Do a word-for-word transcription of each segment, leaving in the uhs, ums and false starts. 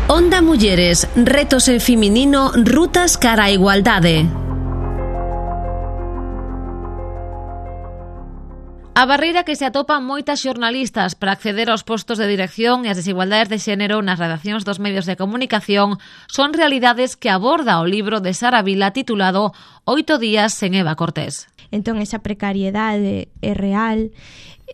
Onda Mulleres, retos en feminino, rutas cara a igualdade. A barreira que se atopan moitas xornalistas para acceder aos postos de dirección e as desigualdades de xénero nas redaccións dos medios de comunicación son realidades que aborda o libro de Sara Vila titulado Oito días sen Eva Cortés. Entón, esa precariedade é real,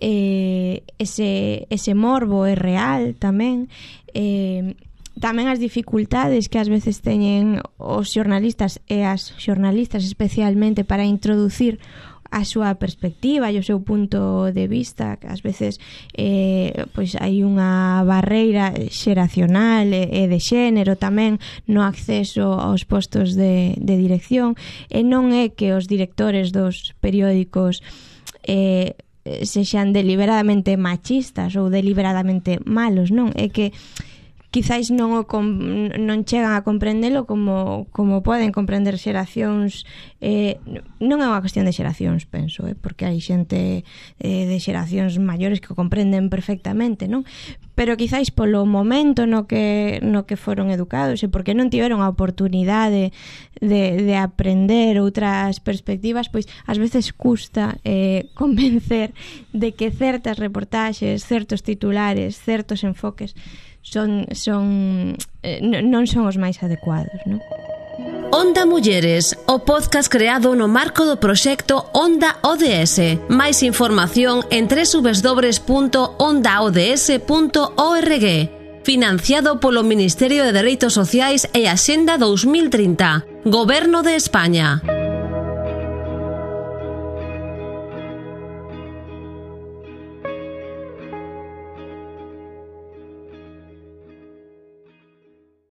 eh, ese, ese morbo é real tamén, eh, tamén as dificultades que ás veces teñen os xornalistas e as xornalistas especialmente para introducir a súa perspectiva e o seu punto de vista, que ás veces eh, pois hai unha barreira xeracional e de xénero tamén no acceso aos postos de, de dirección, e non é que os directores dos periódicos eh, sexan deliberadamente machistas ou deliberadamente malos, non, é que quizáis non o com, non chegan a comprendelo como, como poden comprender xeracións, eh, non é unha cuestión de xeracións, penso, eh, porque hai xente eh, de xeracións maiores que o comprenden perfectamente, non? Pero quizáis polo momento no que, no que foron educados e porque non tiveron a oportunidade de, de aprender outras perspectivas, pois ás veces custa eh, convencer de que certas reportaxes, certos titulares, certos enfoques son, son eh, non son os máis adecuados, non? Onda Mulleres, o podcast creado no marco do proxecto Onda O D S. Máis información en doble u doble u doble u punto onda o d s punto org. Financiado polo Ministerio de Dereitos Sociais e Axenda dos mil trinta. Goberno de España.